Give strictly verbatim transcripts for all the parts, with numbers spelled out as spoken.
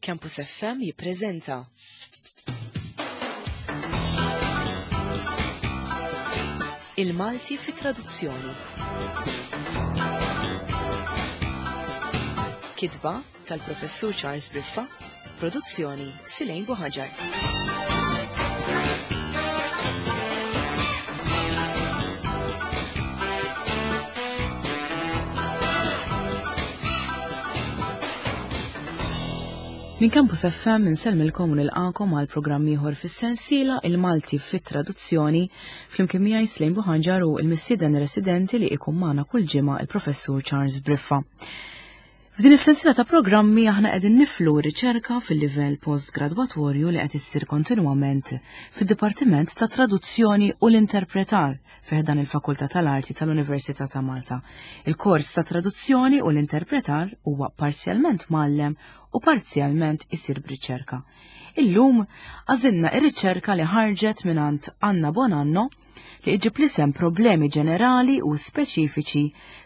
Campus F M jippreżenta Il-Malti fi traduzzjoni. Kitba tal-Professur Charles Briffa, produzzjoni Silejn Buħaġar. Min Campus F M insellmilkom u nilqakom għal programm ieħor fis-sensiela Il-Malti fit-Traduzzjoni, flimkien miegħi Slejn Buħanġar u l-mistieden residenti li ikun magħna kull ġimgħa, il-Professur Charles Briffa. F'din is-sensiela ta' programmi aħna qegħdin niflu riċerka fil-livell postgradwatorju li qed issir kontinwament fid-Dipartiment ta' Traduzzjoni u l-Interpretar fi ħdan il-Fakultà tal-Arti tal-Università ta' Malta. Il-kors ta' Traduzzjoni u l-Interpretar huwa parzjalment mgħallem u parzjalment isir b'riċerka. Illum għażilna ir-riċerka li ħarġet mingħand Anna Bonanno li iġib l-isem Problemi ġenerali u speċifiċi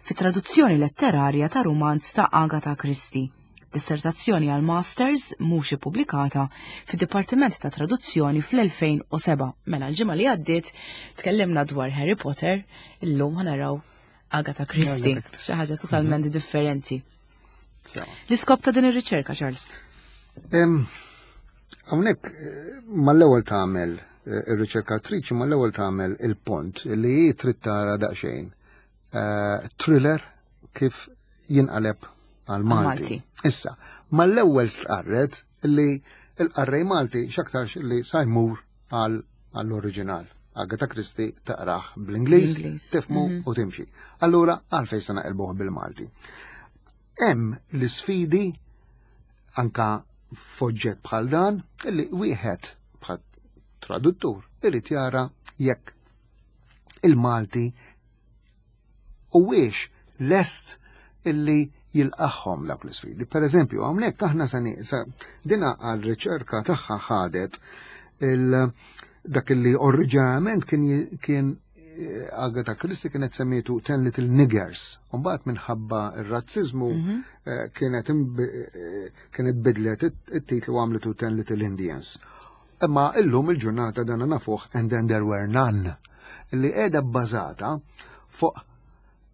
fi traduzzjoni letterarja ta' rumanz ta' Agatha Christie. Dissertazzjoni għal Masters mhux ippubblikata fid-Dipartiment ta' Traduzzjoni fl-elfejn u sebgħa. Mela l-ġimgħa li għaddiet tkellimna dwar Harry Potter, illum ħa naraw Agatha Christie, Agatha Christie. xi ħaġa totalment differenti. L-iskop ta' din ir-riċerka, Charles? Hawnhekk eh, mal-ewwel tagħmel eh, ir-riċerkatriċi mal-ewwel tagħmel il-pont li hi trid tara daqsxejn eh, thriller kif jinqaleb għal Malti. Malti. Issa, mal-ewwel stqarret li l-qarrej Malti x'aktarx li sa jmur għal għall-oriġinal. Agatha Christie taqrah bl-Ingliż, Bl-Ingliż. tifmu Mhm. u timxi. Allura, għalfejn se naqilbuh bil-Malti? Hemm l-isfidi anka f'oġġett bħal dan illi wieħed bħal traduttur irid jara jekk il-Malti huwiex lest illi jilqagħhom dawk l-isfidi. Per eżempju, hawnhekk aħna sa sa dina għal riċerka tagħha ħadet il dak illi oriġinarjament kien kien eh, Agatha Christie kienet semmietu Ten Little Niggers. Mbagħad minħabba ir-razzizmu Mhm. eh, kienet imb- eh, kienet bidlet it- it-titlu, għamlitu Ten Little Indians. Imma illum il-ġurnata dan nafuh And Then There Were None, li qiegħda bbażata fuq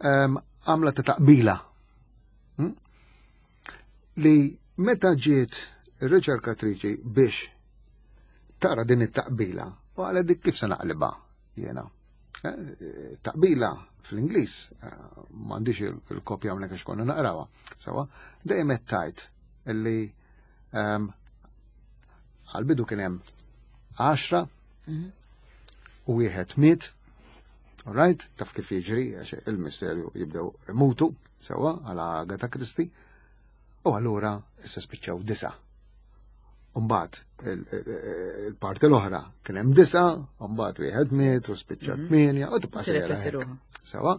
em, għamla ta' taqbila. Hmm? Li meta ġiet ir-riċerkatriċi biex tara din it-taqbila, u għala dik kif se naqliba jiena. Eh, Taqbila fl-Ingliż, eh, m'għandix il-kopja hawnhekk għax konna naqrawha. Sawa, dejjem qed tgħid illi ehm, għal-bidu kien hemm għaxra Mhm. u wieħed miet. All right, taf kif jiġri, għax il-misterju jibdew imutu, sewa, għala Agatha Christie. U allura issa spiċċaw disa. Umbagħad il-parti l-oħra kien hemm disa, umbagħad wieħed miet u spiċċa Mhm. tmienja u tibqa' sejra Tirrepeti hekk. ruħha. Sewa.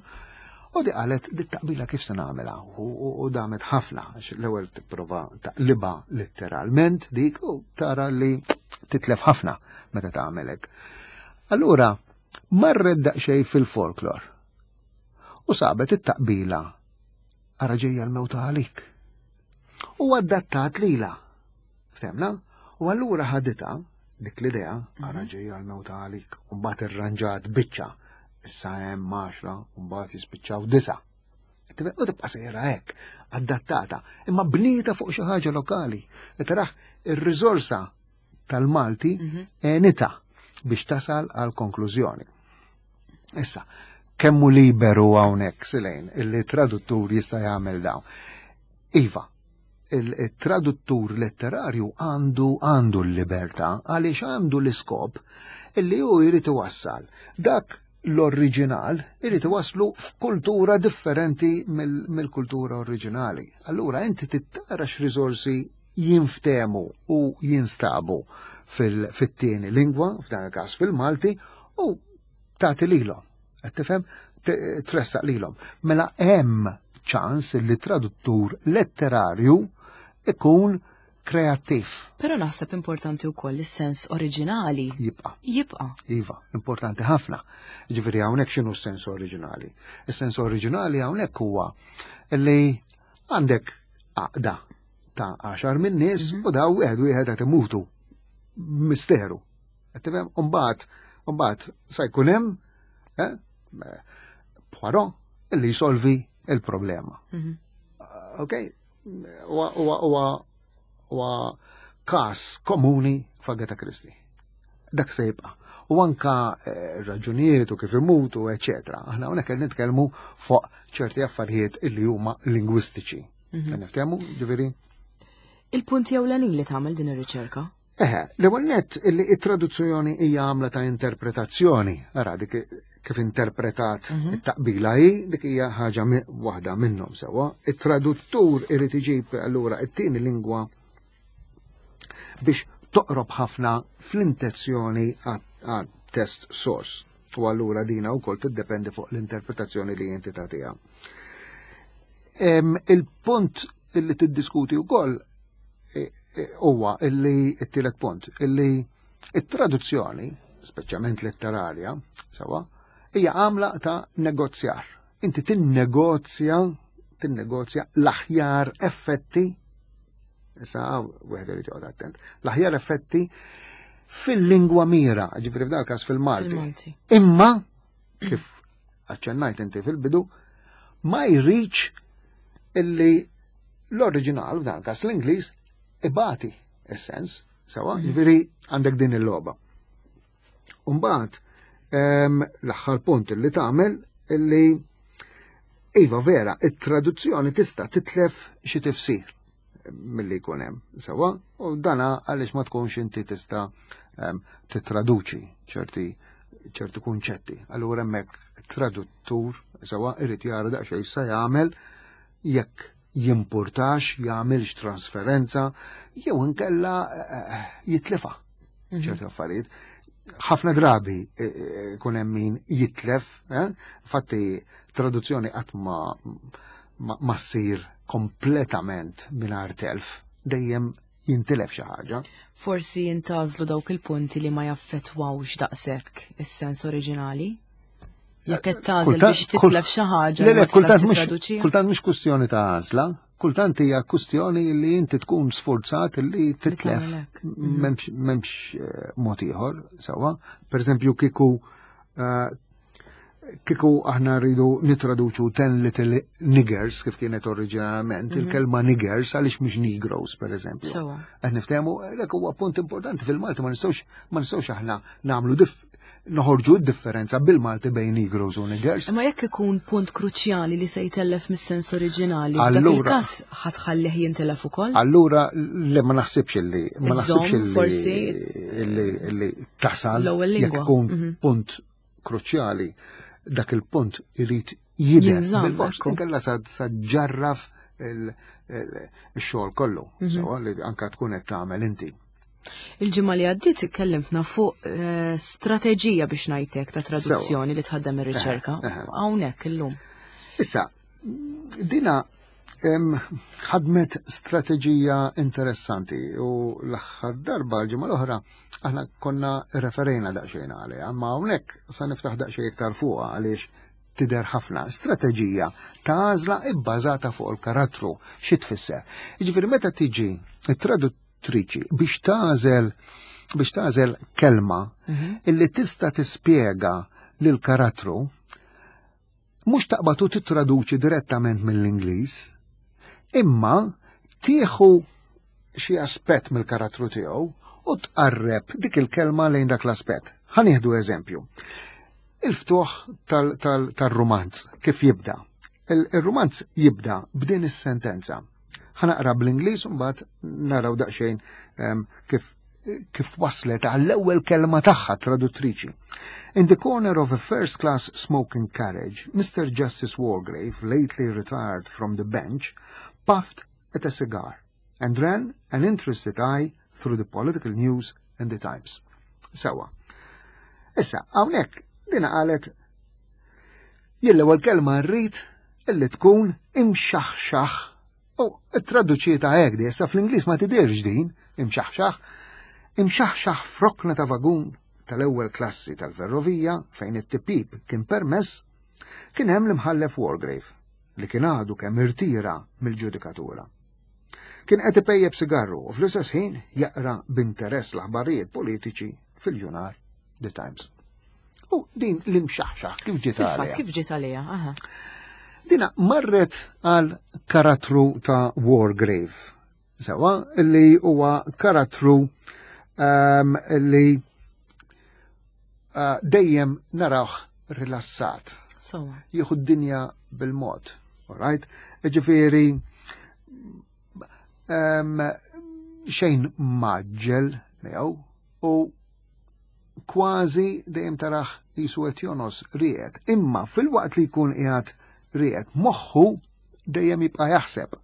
U di qalet, di taqbila kif se nagħmilha? U, u, u damet ħafna għax l-ewwel tipprova taqliba letteralment dik u tara li titlef ħafna meta tagħmel hekk. Allura marret daqsxejn fil-folklor u sabet it-taqbila "Ara ġejja l-mewta għalik". U adattat lila. Ftemna? U allura ħaditha dik l-idea, "Ara ġejja l-mewta għalik", u mbagħad irranġat biċċa. Issa hemm għaxra, u mbagħad jispiċċaw disa. U tibqa' sejra hekk, adattata, imma bnieta fuq xi ħaġa lokali. E taraħ ir-riżorsa tal-Malti Mhm. enita biex tasal għal konklużjoni. Issa, kemmu liberu hawnhekk, Silejn, illi traduttur jista' jagħmel dawn? Iva, il-traduttur letterarju għandu għandu l-libertà għaliex għandu l-iskop illi hu jrid iwassal dak l-oriġinal, irid iwasslu f'kultura differenti mill- mill-kultura oriġinali. Allura inti tittara x'riżorsi jinftemu u jinstabu fil- fit-tieni lingwa, f'dan il-każ fil-Malti, u tagħti lilhom. Qed tifhem? T- Tressaq lilhom. Mela hemm ċans li traduttur letterarju ikun kreattiv. Però naħseb importanti wkoll is-sens oriġinali Jibqa'. jibqa'. Iva, importanti ħafna. Ġifieri hawnhekk x'inhu s-sens oriġinali? Is-sens oriġinali hawnhekk huwa li għandek għaqda ta' għaxar minn nies u daw wieħed wieħed qed imutu. Misteru. Qed tifhem? Umbagħad umbagħad sa jkun hemm eh, Poirot illi jisolvi il-problema. Mhm. Ok? Huwa huwa huwa huwa każ komuni f'Agatha Christie. Dak se jibqa'. U anka eh, raġunijiet u kif imutu, eċetera. Aħna hawnhekk qed nitkellmu fuq ċerti affarijiet illi huma lingwistiċi. Mhm. Qed niftehmu, ġifieri? Il-punti ewlenin li tagħmel din ir-riċerka? Eħe, l-ewwel nett illi it-traduzzjoni hija għamla ta' interpretazzjoni. Ara dik kif interpretat Mhm. it-taqbila hi, dik hija ħaġa mi- waħda minnhom sewwa. It-traduttur irid iġib allura it-tieni lingwa biex toqrob ħafna fl-intenzjoni għat-text source. U allura dina wkoll tiddependi fuq l-interpretazzjoni li inti tagħtiha. Em, Il-punt illi tiddiskuti wkoll e, e, huwa illi it-tielet punt illi it-traduzzjoni, speċjalment letterarja, sewwa, hija għamla ta' negozjar. Inti tinnegozja tinnegozja l-aħjar effetti issa wieħed irid joqgħod attent. L-aħjar effetti fil-lingwa mira, ġifieri f'dal każ fil-Malti. Fil-Malti. Imma kif aċċennajt inti fil-bidu, ma jridx illi l-oriġinal, f'dan każ l-Ingliż, ibati is-sens, sewwa, ġifieri għandek din il-logħba. Umbagħad em, l-aħħar punt illi tagħmel illi iva vera, it-traduzzjoni tista' titlef xi tifsir milli jkun hemm, sewwa, u dana għaliex ma tkunx inti tista' em, titraduċi ċerti ċerti kunċetti. Allura hemmhekk traduttur sewwa irid jara daqsxejn se jagħmel jekk jimpurtax, jagħmilx trasferenza, jew inkella eh, jitlifa ċerti affarijiet. Ħafna drabi eh, eh, kun hemm min jitlef, eh? Infatti traduzzjoni qatt ma ma, ma ssir kompletament mingħajr telf, dejjem jintilef xi ħaġa. Forsi jintgħażlu dawk il-punti li ma jaffettwawx daqshekk is-sens oriġinali? Jekk qed tagħżel Kultant- biex titlef xi ħaġa Le, li le, ma tistax kultant mhux titraduċiha? kultant mhux kwestjoni ta' għażla, kultant hija kwestjoni li inti tkun sforzat li titlef. tagħmel hekk. M'hemmx m'hemmx eh, mod ieħor sewwa. Per eżempju kieku eh, kieku aħna rridu nitraduċu ten little niggers kif kienet oriġinalment, il-kelma niggers għaliex mhux negroes per eżempju. Sewwa. Qed niftehmu dak huwa punt importanti fil-Malti ma nistgħux ma nistgħux aħna nagħmlu dif noħorġu d-differenza bil-Malti bejn negroes u niggers. Imma jekk ikun punt kruċjali li se jtellef mis-sens oriġinali, f'dak Allura- il-każ ħa tħallih jintelef ukoll? Allura le ma naħsibx illi ma naħsibx Iżżomm, illi forsi illi illi tasal l-ewwel jekk lingwa. ikun Mhm. punt kruċjali dak il-punt irid jidher Jinżamm, bil-fors ekku. inkella sa sa ġarraf il- il- ix-xogħol kollu, Mhm. sewwa li anka tkun qed tagħmel inti. Il-ġimgħa li għaddiet ikkellimtna fuq eh, strateġija biex ngħidlek ta' traduzzjoni li tħaddem ir-riċerka. Eħe, eħe. Hawnhekk illum. Issa, dina em, ħadmet strateġija interessanti u l-aħħar darba l-ġimgħa l-oħra aħna konna referejna daqsxejn għaliha, ma hawnhekk sa niftaħ daqsxejn iktar fuqha għaliex tidher ħafna strateġija ta' għażla ibbażata fuq il-karattru xi tfisser. Jiġifieri meta tiġi it-traduttriċi biex tagħżel biex tagħżel kelma illi tista' tispjega lil karattru mhux taqbad u titraduċi direttament mill-Ingliż, imma tieħu xi aspett mill-karattru tiegħu u tqarreb dik il-kelma lejn dak l-aspett. Ħa nieħdu eżempju. Il-ftuħ tal-rumanz, kif jibda? Il-rumanz jibda b'din is-sentenza. Ħa naqra bl-Ingliż u mbagħad naraw daqsxejn em, kif kif waslet għall-ewwel kelma tagħha traduttriċi. In the corner of a first-class smoking carriage, Mr. Justice Wargrave, lately retired from the bench, puffed at a cigar and ran an interested eye through the political news and the Times. Sewwa. Issa, hawnhekk dina qalet jien l-ewwel kelma rrid illi tkun imxaħxaħ. U traduċietha hekk di, issa fl-Ingliż ma tidirx din, imxaħxaħ, imxaħxaħ f'rokna ta' vagun tal-ewwel klassi tal-ferrovija fejn it-tipjip kien permess, kien hemm l-imħallef Wargrave li kien għadu kemm irtira mill-ġudikatura. Kien qed ipejjeb sigarru u fl-istess ħin jaqra b'interess l-aħbarijiet politiċi fil-ġurnal The Times. U din l-imxaħxaħ kif ġiet Fil-fatt, għaliha? kif ġiet għalija? Aha. Dina marret għal karattru ta' Wargrave. Sewa, li huwa karattru um, li uh, dejjem narawh rilassat. Sewwa. Jieħu d-dinja bil-mod. Alright? Ġifieri, um, xejn mgħaġġel miegħu u kważi dejjem tarah qisu qed jongħos rieqed. Imma fil-waqt li jkun qiegħed rieqed, moħħu dejjem jibqa' jaħseb.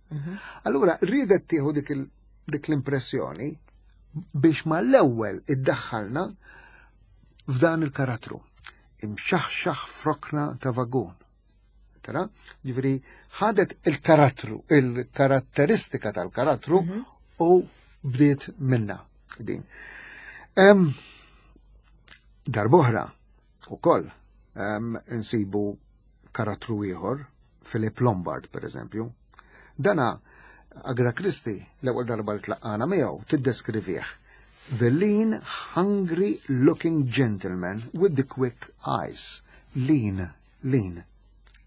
Allura riedet tieħu dik il- dik l-impressjoni biex mal-ewwel iddaħħalna f'dan il-karattru. Imxaħxaħ f'rokna ta' vagun. Tara? Ġifieri ħadet il-karattru, il-karatteristika tal-karattru u bdiet minna din. Em, Darb'oħra, ukoll, em, insibu karattru ieħor, Philip Lombard, per eżempju. Dana, Agatha Christie, l-ewwel darba li tlaqqana miegħu, tiddeskrivih. The lean, hungry looking gentleman with the quick eyes. Lean, lean.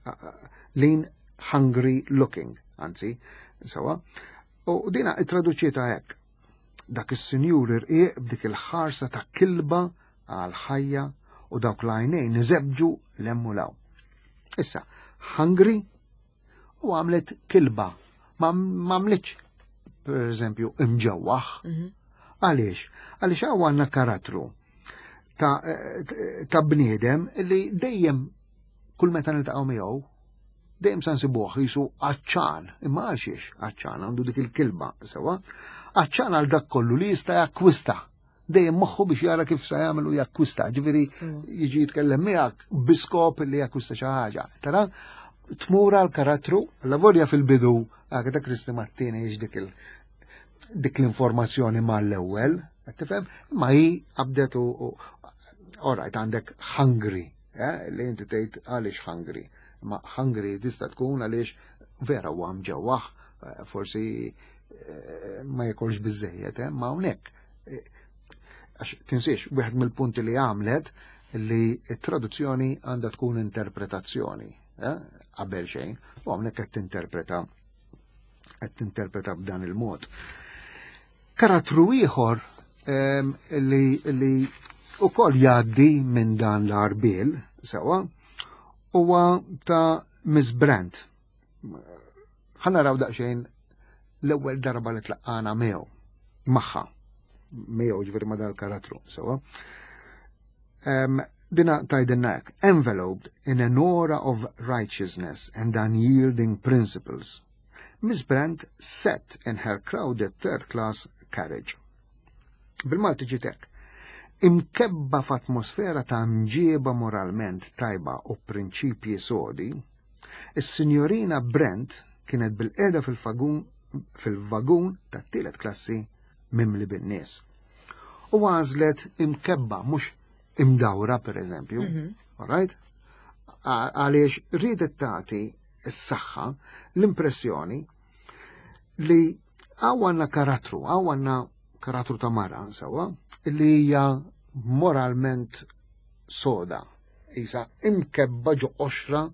Uh, uh, lean, hungry looking, anzi, sewwa. U dina ittraduċietha hekk. Dak is-sinjur irqiq b'dik il-ħarsa ta' kilba għal ħajja u dawk l-għajnejn iżebġu 'l hemm u 'l hawn. Issa, hungry u għamlet kilba. Ma għamlitx, per eżempju, imġewwaħ. Għaliex? Għaliex hawn għandna karattru ta', ta' bniedem li dejjem kull meta niltaqgħu miegħu dejjem sa nsibuh qisu għatxan, imma għal xiex għatxan għandu dik il-kilba, sewwa, għatxan għal dak kollu li jista' jakkwista. Dejjem moħħu biex jara kif sa jagħmel u jakkwista, ġifieri jiġi jitkellem miegħek biskop li jakkwista xi ħaġa. Tara, tmur għal karattru, la volja fil-bidu, Agatha Christie ma ttiniex dik il dik l-informazzjoni mal-ewwel, qed tifhem? Ma hi qabdet u alright, għandek hungry, eh, li inti tgħid għaliex hungry. Ma hungry tista' tkun għaliex vera huwa mġewwaħ, eh, forsi eh, ma jekolx biżejjed, eh, ma hawnhekk. Għax tinsiex, wieħed mill-punti li għamlet li t-traduzzjoni għandha tkun interpretazzjoni, qabel xejn, u hawnhekk qed tinterpreta qed tinterpreta b'dan il-mod. Karattru ieħor li li ukoll jgħaddi minn dan l-għarbiel, sewwa, huwa ta' Miss Brent. Ħa naraw daqsxejn l-ewwel darba li tlaqqana miegħu, magħha, miegħu ġifieri ma' dal-karattru, sewwa. Dina tgħidilna hekk, enveloped in an aura of righteousness and unyielding principles. Miss Brent sat in her crowded third class carriage. Bil-Malti ġiet hekk. Imkebba f'atmosfera ta' mġieba moralment tajba u prinċipji sodi, is-sinjorina Brent kienet bilqiegħda fil-vagun fil-vagun tat-tielet klassi mimli bin-nies. U għażlet imkebba mhux imdawra per eżempju, mm -hmm. Alright? Għaliex riedet tagħti s-saħħa l-impressjoni li hawn għandna karattru, hawn għandna karattru ta' mara, sewwa, li hija moralment soda, isa imkebba ġo qoxra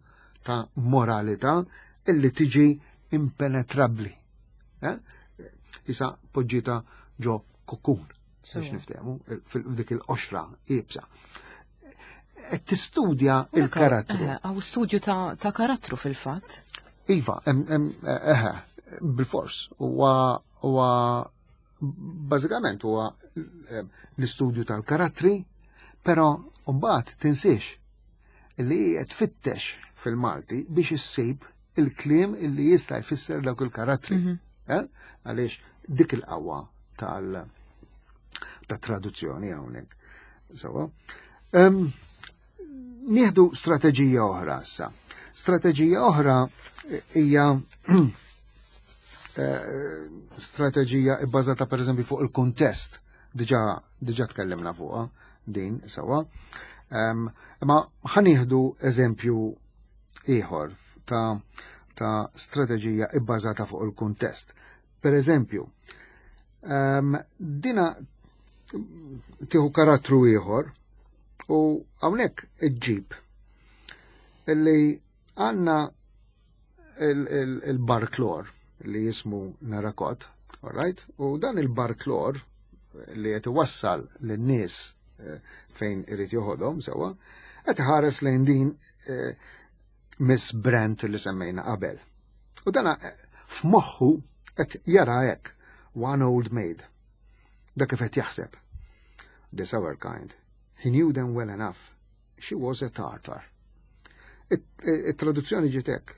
ta' moralità illi tiġi impenetrabli. Eh? Isa poġġita ġo kokun, biex niftehmu, fil-dik il-qoxra iebsa. Qed tistudja il-karattru. Hawn studju ta' karattru fil-fatt. Iva, eħe, bil-fors, huwa huwa bażikament huwa l-istudju tal-karattri, però mbagħad tinsiex li tfittex fil-Malti biex issib il-kliem illi jista' jfisser dawk il-karattri. Mhm. Eh? Għaliex dik il-qawwa tal ta' traduzzjoni hawnhekk. Sewwa. Nieħdu strateġija oħra issa. Strateġija oħra hija eh, strateġija bbażata per eżempju fuq il-kuntest. Diġà diġà tkellimna fuqha din sewwa. Ma ħa nieħdu eżempju ieħor ta' ta' strateġija ibbażata fuq il-kuntest. Per eżempju, um, dina tieħu karattru ieħor u hawnhekk iġġib illi għandna il-barklor li jismu Narakot, all right? U dan il-barklor li qed iwassal lin-nies eh, fejn irid joħodhom sewwa, qed ħares lejn din eh, Miss Brent li semmejna qabel. U dana eh, f'moħħu qed jara hekk, one old maid. Dak kif qed jaħseb. This our kind. He knew them well enough. She was a Tartar. It-traduzzjoni ġiet hekk.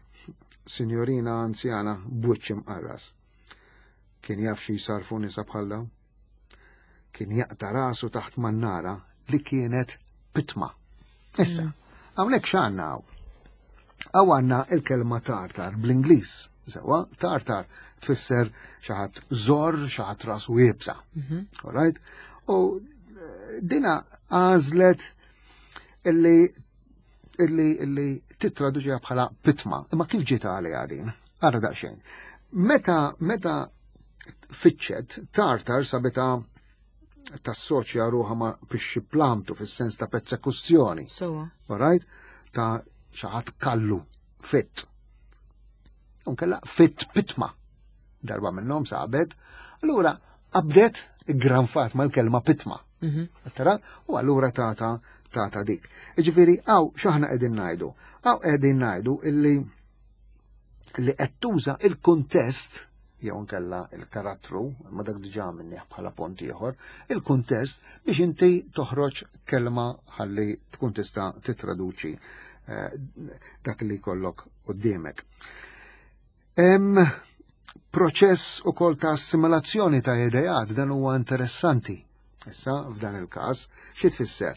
Signorina anzjana b'wiċċ imqarras. Kien jaf xi jsarfu nisa bħal dawn? Kien jaqta rasu taħt mannara li kienet pitma. Issa, mm. hawnhekk x'għandna hawn? Hawn għandna il-kelma tartar bl-Ingliż. Sewwa, tartar tfisser xi ħadd żorr, xi ħadd rasu iebsa. Mhm. All right? U eh, dina għażlet illi illi illi titraduċiha bħala pitma. Imma kif ġiet għaliha din? Ara daqsxejn. Meta meta fitxet tartar sabitha tassoċja ruħha ma' pixxi plamtu fis-sens ta' persekuzzjoni. Sewwa. All right? Ta' xi ħadd kallu, fit. Unkella fit pitma. Darba minnhom sabet. Allura qabdet granfat mal-kelma pitma. Mhm. Tara? U allura tata tata dik. Iġifieri, hawn x'aħna qegħdin ngħidu? Hawn qegħdin ngħidu illi li qed tuża il-kuntest jew nkella il-karattru, ma dak diġà minnih bħala pont ieħor, il-kuntest biex inti toħroġ kelma ħalli tkun tista' titraduċi eh, dak li jkollok quddiemek. Hemm proċess ukoll ta' assimilazzjoni ta' ideat dan huwa interessanti. Issa, f'dan il-każ, xi tfisser?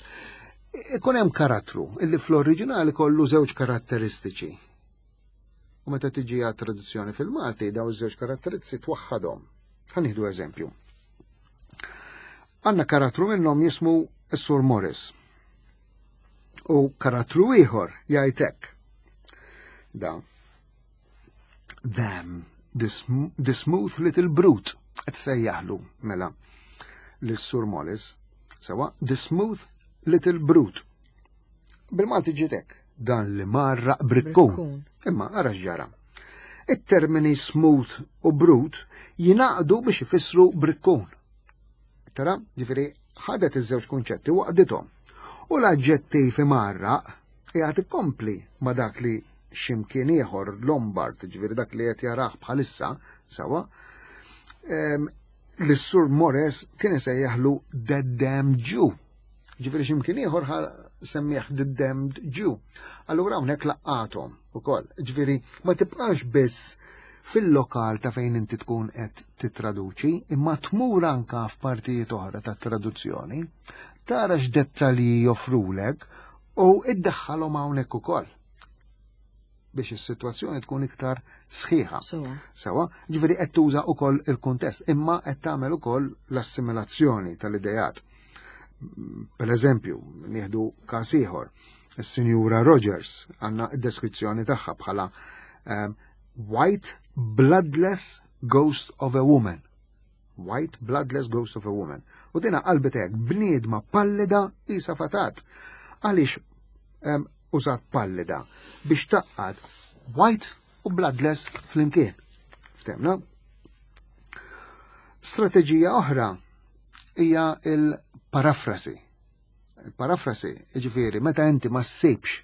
Ikun hemm karattru illi fl-oriġinali kollu żewġ karatteristiċi. U meta tiġi għat traduzzjoni fil-Malti, daw iż-żewġ karatteristiċi twaħħadhom. Ħa nieħdu eżempju. Għandna karattru minnhom jismu s-Sur Morris. U karattru ieħor jgħid hekk. Da. Damn, the, sm the smooth little brute. Qed sejjaħlu mela lis-Sur Morris. Sewwa, the smooth little brute. Bil-Malti ġiet hekk. Dan li marraq brikkun. Brikkun. Imma ara x'ġara. It-termini smooth u brute jingħaqdu biex ifissru brikkun. Tara, ġifieri ħadet iż-żewġ kunċetti u għaqqdithom. U l-aġġettiv imarraq qiegħed ikompli ma dak li x'imkien ieħor Lombard, ġifieri dak li qed jarah bħalissa, sewwa, em, l-Sur Morris kien isejjaħlu The Damned Jew. Ġifieri x'imkien ieħor ħa semmieħ The Damned Jew. Allura hawnhekk laqqathom ukoll. Ġifieri ma tibqax biss fil-lokal ta' fejn inti tkun qed titraduċi, imma tmur anka f'partijiet oħra ta' traduzzjoni, tara x'dettalji joffrulek u iddaħħalhom hawnhekk ukoll biex is-sitwazzjoni tkun iktar sħiħa. Sewwa. Sewwa, ġifieri qed tuża wkoll il-kuntest, imma qed tagħmel ukoll l-assimilazzjoni tal-idejat. Per eżempju, nieħdu każ ieħor, is-Sinjura Rogers għandna d-deskrizzjoni tagħha bħala um, white bloodless ghost of a woman. White bloodless ghost of a woman. U dina qalbet hekk bniedma pallida isa fatat. Għaliex um, użat pallida biex tgħaqqad white u bloodless flimkien. Ftemna? Strateġija oħra hija il-parafrasi. Il-parafrasi, ġifieri, meta inti ma ssibx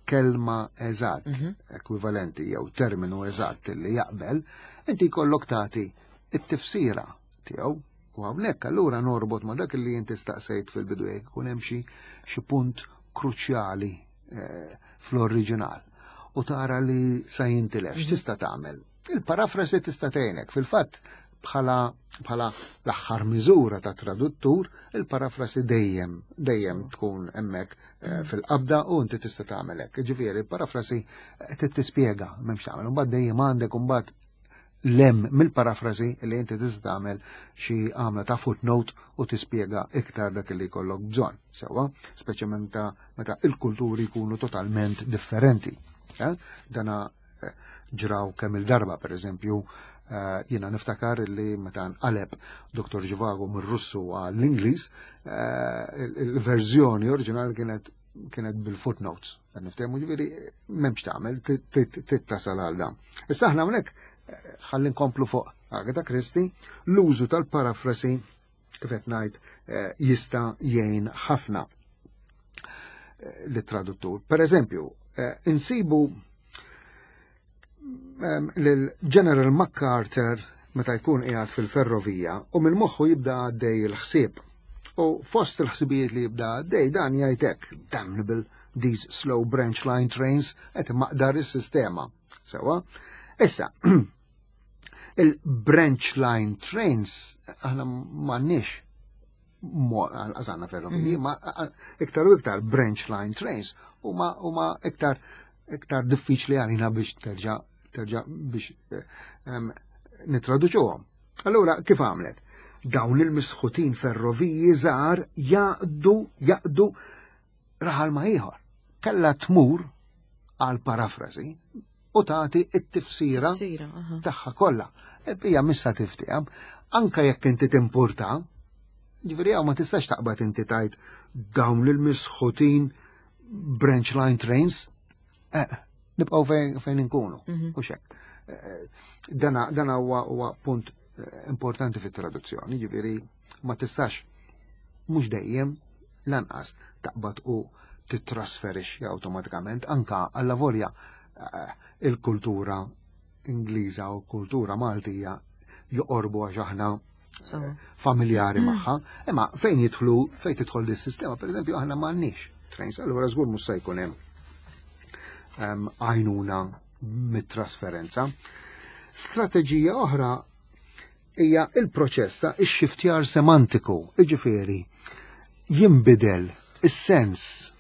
kelma eżatt, Mhm. ekwivalenti jew terminu eżatt li jaqbel, inti jkollok tagħti it-tifsira tiegħu u hawnhekk allura norbot ma dak li inti staqsejt fil-bidu jekk ikun hemm xi xi punt kruċjali eh, fl-oriġinal u tara li sa jintilef, x'tista' tagħmel? Il-parafrasi tista' tgħinek. Fil-fatt bħala bħala l-aħħar miżura ta' traduttur, il-parafrasi dejjem dejjem tkun hemmhekk eh, fil-qabda u inti tista' tagħmel hekk. Ġifieri, il-parafrasi eh, trid tispjega m'hemmx tagħmel. Imbagħad dejjem għandek imbagħad lem mill-parafrasi li inti tista' tagħmel xi għamla ta' footnote u tispjega iktar dak li jkollok bżonn. Sewwa, speċjalment meta meta il-kulturi jkunu totalment differenti. Eh? Dana eh, ġraw kemm il-darba, per eżempju, Eh, jiena niftakar li meta nqaleb Doktor Zhivago mir-Russu għall-Ingliż, eh, il-verżjoni oriġinali kienet kienet bil-footnotes. Niftehmu, ġifieri m'hemmx tagħmel, tittasal għal dan. Issa aħna hawnhekk eh, ħalli nkomplu fuq Agatha Christie, l-użu tal-parafrasi, kif qed ngħid, jista' jgħin ħafna lit-traduttur. Per eżempju, insibu l-General MacArthur meta jkun qiegħed fil-ferrovija u minn moħħu jibda għaddej il-ħsieb. U fost il-ħsibijiet li jibda għaddej dan jgħidlek: "Damnable, these slow branch line trains", qed maqdar is-sistema. Sewa? Issa, il-branch line trains aħna m'għandniex għażanna ferroviji, mhm. ma iktar u iktar branch line trains huma iktar iktar diffiċli għalina biex terġa' terġa' biex eh, nitraduċuhom. Allura kif għamlet? Dawn il-misħutin ferroviji żgħar jaqdu jaqdu raħal ma ieħor. Kella tmur għal parafrasi u tagħti it-tifsira tagħha kollha. Hija missa tiftiehem, anka jekk inti timpurta, ġifieri ma tistax taqbad inti tajt dawn il-misħutin branch line trains. Eh, nibqgħu fejn, fejn inkunu. Mhm. U xek. Eh, dana dana huwa huwa punt eh, importanti fit-traduzzjoni, ġifieri ma tistax, mhux dejjem lanqas, taqbad u titrasferixxi awtomatikament, anka alla volja eh, il-kultura Ingliża u kultura Maltija joqorbu għax aħna familjari mm. magħha, imma fejn jidħlu fejn tidħol dis-sistema, pereżempju, aħna m'għandniex trains, allura żgur mhux se jkun hemm għajnuna mit-trasferenza. Strateġija oħra hija il-proċess ta' ix-xiftjar semantiku, iġifieri jinbidel is-sens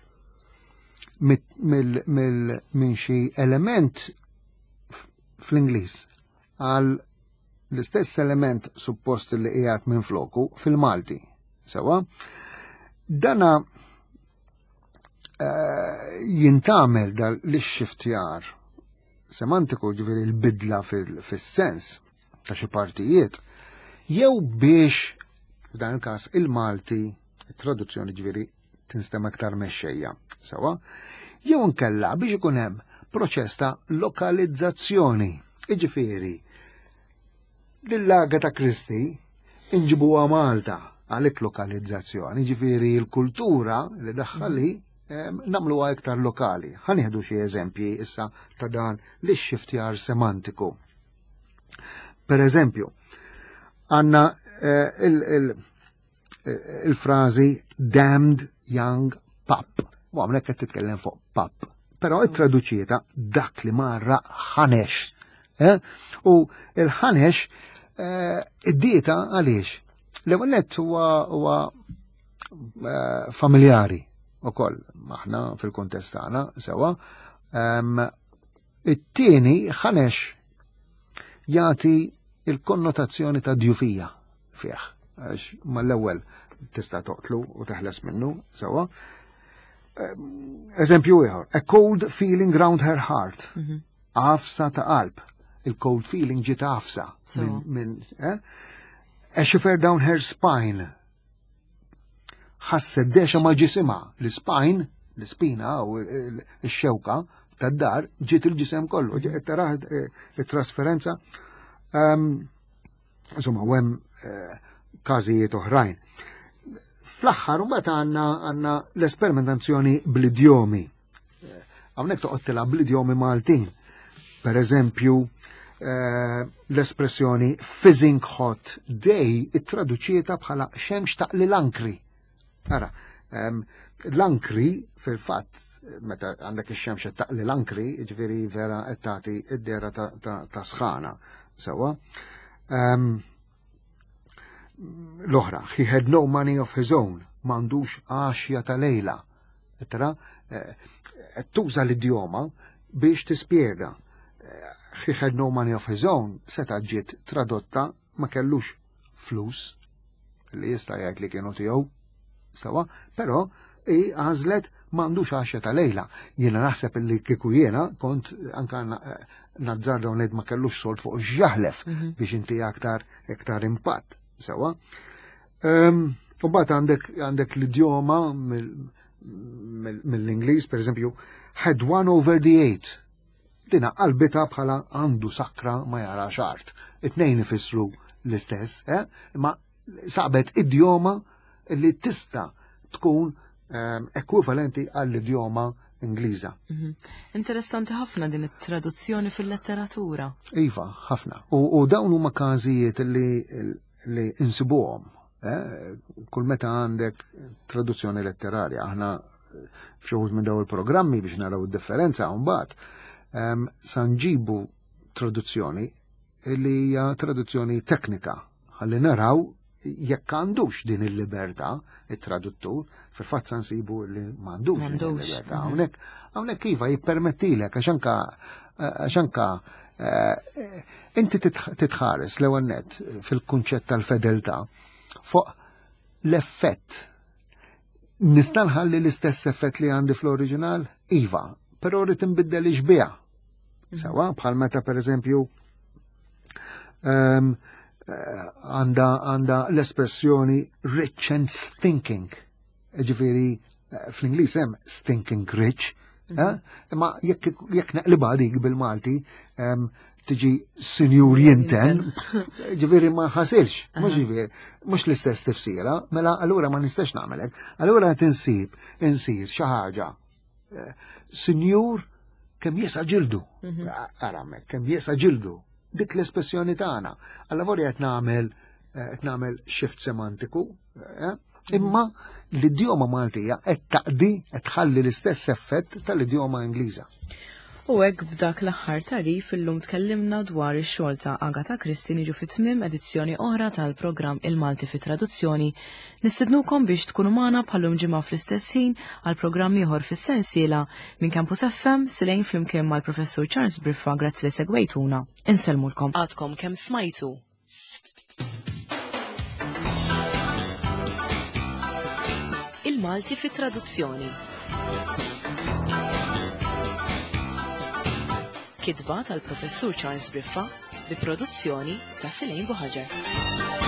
minn xi element fl-Ingliż għal l-istess element suppost li qiegħed minn floku fil-Malti. Sewa, dana uh, jintgħamel dal l-xiftjar semantiku, ġifieri l-bidla fil-sens ta' xi partijiet, jew biex f'dan il-każ il-Malti, it-traduzzjoni ġifieri tinstema aktar mexxejja, sewa, jew nkella biex ikun hemm proċess ta' lokalizzazzjoni, iġifieri lil Agatha Christie inġibuha Malta, għalhekk lokalizzazzjoni, ġifieri l-kultura li daħħali nagħmluha iktar lokali. Ħa nieħdu xi eżempji issa ta' dan li xiftjar semantiku. Per eżempju, għandna eh, il-frażi "damned young pup". U hawnhekk qed titkellem fuq pup. Però ittraduċietha dak li marra ħanex. Eh? U il-ħanex eh, id-dieta għaliex? L-ewwel nett huwa familjari ukoll aħna fil-kontest tagħna, sewa. It-tieni, ħanex jagħti il-konnotazzjoni ta' djufija fih. Għax mal-ewwel tista' toqtlu u teħles minnu, sewa. Eżempju ieħor, "a cold feeling round her heart". Mhm. Għafsa ta' qalb. Il-cold feeling ġiet għafsa. Minn, eh? "A shiver down her spine". Ħasset dexa ma' ġisimha. L-spine, l-spina u x-xewka tad-dar ġiet il-ġisem kollu. Taraħ eh, il-trasferenza. Insomma, u hemm eh, każijiet oħrajn. Fl-aħħar mbagħad għandna għandna l-esperimentazzjoni bl-idjomi. Eh, hawnhekk toqgħod tilgħab bl-idjomi Maltin. Per eżempju, l-espressjoni "fizzing hot day" ittraduċieta bħala xemx taqli l-ankri. Ara, l-ankri fil-fatt meta għandek ix-xemx taqli l-ankri, ġifieri vera qed tagħti id-dera ta' sħana. Sewa. L-oħra, "he had no money of his own", m'għandux għaxja ta' lejla. Tra, eh, tuża l-idjoma biex tispjega. Eh, "he had no money of his own" seta' ġiet tradotta ma kellux flus li jista' jgħid li kienu tiegħu. Sewa, però i għażlet m'għandux għaxja ta' lejla. Jiena naħseb li kieku jiena kont anka eh, Nazzarda u ngħid ma kellux sold fuq x'jaħlef mhm. biex inti aktar aktar impatt. Sewa. U mbagħad għandek għandek l-idjoma mill-Ingliż, per eżempju, had one over the eight. Dina qalbita bħala għandu sakra ma jara art. It-tnejn ifissru l-istess, eh? Imma sabet idjoma li tista' tkun ehm, ekwivalenti għall-idjoma Ingliża. Mhm. Interessanti ħafna din it-traduzzjoni fil-letteratura. Iva, ħafna. U, u dawn huma każijiet li, li insibuhom. Eh? Kull meta għandek traduzzjoni letterarja, aħna f'xi wħud minn dawn il-programmi biex naraw id-differenza mbagħad um, sa nġibu traduzzjoni li hija traduzzjoni teknika ħalli naraw jekk għandux din il-libertà it-traduttur, fil-fatt sa nsibu li m'għandux din il-libertà. Mhm. Hawnhekk hawnhekk iva jippermettilek għax anka għax anka eh, inti titħares l-ewwel nett fil-kunċett tal-fedeltà fuq l-effett. Nista' nħalli l-istess effett li għandi fl-oriġinal? Iva, però rrid inbiddel ix-xbieha. Mhm. Sewa, bħal meta per eżempju ehm, eh, għanda għanda l-espressjoni rich and stinking. Ġifieri, eh, fl-Ingliż hemm stinking rich, mhm. eh? imma jekk jekk naqlibha dik bil-Malti, ehm, tiġi sinjur jinten, ġifieri ma ħasilx, mhux ġifieri, mhux l-istess tifsira, mela allura ma nistax nagħmelek. Allura qed insib insir xi ħaġa. Sinjur kemm jesa ġildu. Mhm. Aramek, kemm jesa ġildu. Dik l-espressjoni tagħna. Alla volja qed nagħmel qed nagħmel shift semantiku, eh? Imma l-idjoma Maltija qed taqdi qed tħalli l-istess effett tal-idjoma Ingliża. U hekk b'dak l-aħħar tarif illum tkellimna dwar ix-xogħol ta' Agatha Christie niġu fi tmiem edizzjoni oħra tal-programm Il-Malti fi Traduzzjoni. Nistednukom biex tkunu magħna bħallum ġimgħa fl-istess ħin għal programm ieħor fis-sensiela minn Campus F M Silejn flimkien mal-Professur Charles Briffa. Grazzi li segwejtuna. Insellmulkom. Għadkom kemm smajtu. Il-Malti fi Traduzzjoni. Kitba tal-Professur Charles Briffa bi produzzjoni ta' Silejn Buħaġar.